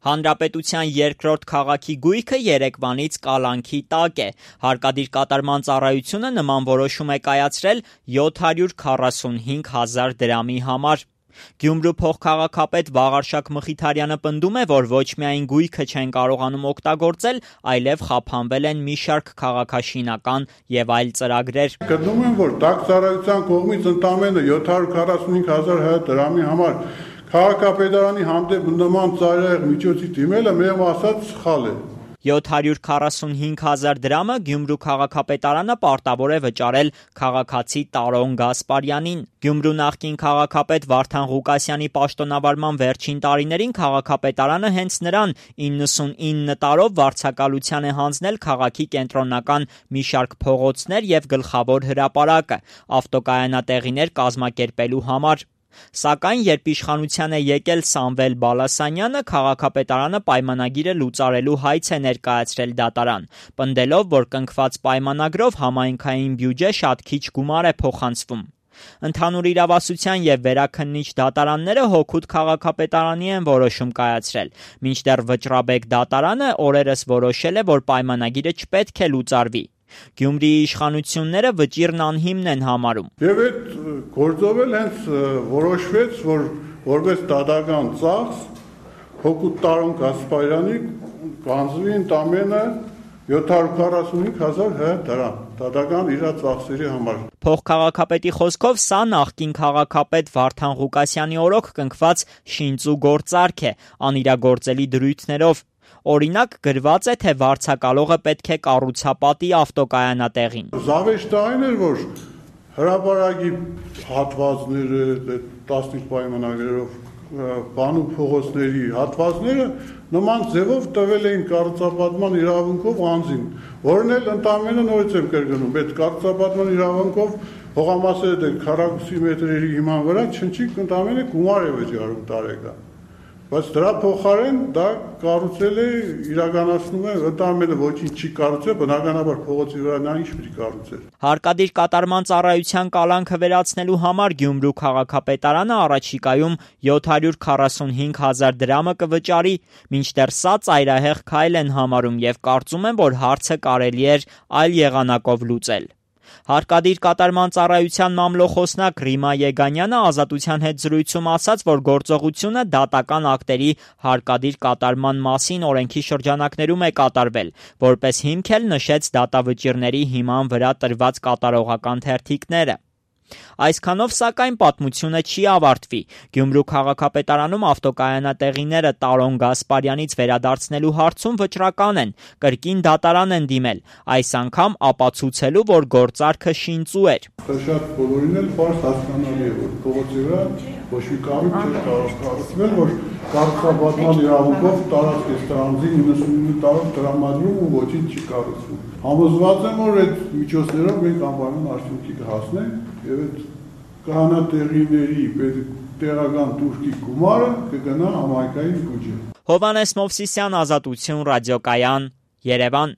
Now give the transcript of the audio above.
Հանրապետության երկրորդ քաղաքի գույքը երեկվանից կալանքի տակ է։ Հարկադիր կատարման ծառայությունը նման որոշում է կայացրել 745 հազար դրամի համար։ Գյումրու փոխքաղաքապետ Վաղարշակ Մխիթարյանը պնդում է, որ ոչ միայն գույքը չեն կարողանում օգտագործել, այլև խափանվել են մի շարք քաղաքաշինական եւ այլ ծրագրեր։ Գտնում եմ, որ ՏԱԿ ծառայության կողմից ընդամենը 745 հազար դրամի համար քաղաքապետարանի հանդեպ նման ծայրահեղ միջոցի դիմելը մեղմ ասած սխալ է։ 745 հազար դրամը Գյումրու քաղաքապետարանը պարտավոր է վճարել քաղաքացի Տարոն Գասպարյանին։ Գյումրու նախկին քաղաքապետ Վարդան Ղուկասյանի պաշտոնավարման վերջին տարիներին քաղաքապետարանը հենց նրան 99 տարով վարձակալության է հանձնել քաղաքի կենտրոնական մի շարք փողոցներ եւ գլխավոր հրապարակը ավտոկայանատեղիներ կազմակերպելու համար։ Սակայն երբ իշխանության է եկել Սամվել Բալասանյանը, քաղաքապետարանը պայմանագիրը լուծարելու հայց է ներկայացրել դատարան, պնդելով, որ կնքված պայմանագրով համայնքային բյուջե շատ քիչ գումար է փոխանցվում։ Ընդհանուր իրավասության եւ վերաքննիչ դատարանները հօգուտ քաղաքապետարանի են որոշում կայացրել, մինչդեռ Վճռաբեկ դատարանը օրերս որոշել է, որ պայմանագիրը չպետք է լուծարվի։ Գյումրիի իշխանությունները վճիռն անհիմն են համարում։ Եվ այդ գործով էլ հենց որոշվեց, որ որպես դատական ծախս հօգուտ Տարոն Գասպարյանի կանձվի ընդամենը 745 հազար դրամ դատական իր ծախսերի համար։ Փոխքաղաքապետի խոսքով սա նախկին քաղաքապետ Վարդան Ղուկասյանի օրոք կնքված շինծու գործարք է անիրագործելի դրույթներով։ Օրինակ գրված է, թե վարձակալողը պետք է կառուցապատի ավտոկայանատեղին։ Զավեշտը այն էր, որ հրապարակի հատվածները, տասնիկ պայմանագրերով բանու փողոցների հատվածները նման ձևով տվել էին կառուցապատման իրավունքով անձին, որն էլ ընդամենը նորից եմ կրկնում, այդ կառուցապատման իրավունքով հողամասերը քառակուսի մետրերի հիման վրա չնչիկ ընդամենը գումար է վճարում տարեկան։ Բայց դրա փոխարեն դա կառուցել է, իրականացնում է, ընդամենը ոչինչ չի կառուցել, բնականաբար փողոցի վրա նա ինչ պիտի կառուցել։ Հարկադիր կատարման ծառայության կալանքը վերացնելու համար Գյումրու քաղաքապետարանը առաջիկայում 745 հազար դրամը կվճարի, մինչդեռ սա ծայրահեղ քայլ են համարում եւ կարծում են, որ հարցը կարելի էր այլ եղանակով լուծել։ Հարկադիր կատարման ծառայության մամլոխոսնակ Ռիմա Եգանյանը Ազատության հետ զրույցում ասաց, որ գործողությունը դատական ակտերի հարկադիր կատարման մասին օրենքի շրջանակներում է կատարվել, որպես հիմք էլ նշեց դատավճիռների հիման վրա տրված կատարողական թերթիկները։ Այսքանով, սակայն, պատմությունը չի ավարտվի։ Գյումրու քաղաքապետարանում ավտոկայանատեղիները Տարոն Գասպարյանից վերադարձնելու հարցում վճռական են, կրկին դատարան են դիմել, այս անգամ ապացուցելու, որ գործարքը շինծու էր։ Շատ բոլորին էլ պարզ հասկանալի է, որ փողոցի վրա ոչ մի կառույց չէր կարող կառուցվել, որ կառուցապատման իրավունքով տարածք է ստանձի 99 տարով տրամադրում ու ոչինչ չի կառուցվում։ Համոզված եմ, որ այդ միջոցներով մենք անպայման արդյունքի կհասնենք եւ այդ կանատեղիների տեղական տուրքի գումարը կգնա համայնքային բյուջե։ Հովհաննես Մովսիսյան, Ազատություն, ռադիոկայան, Երևան։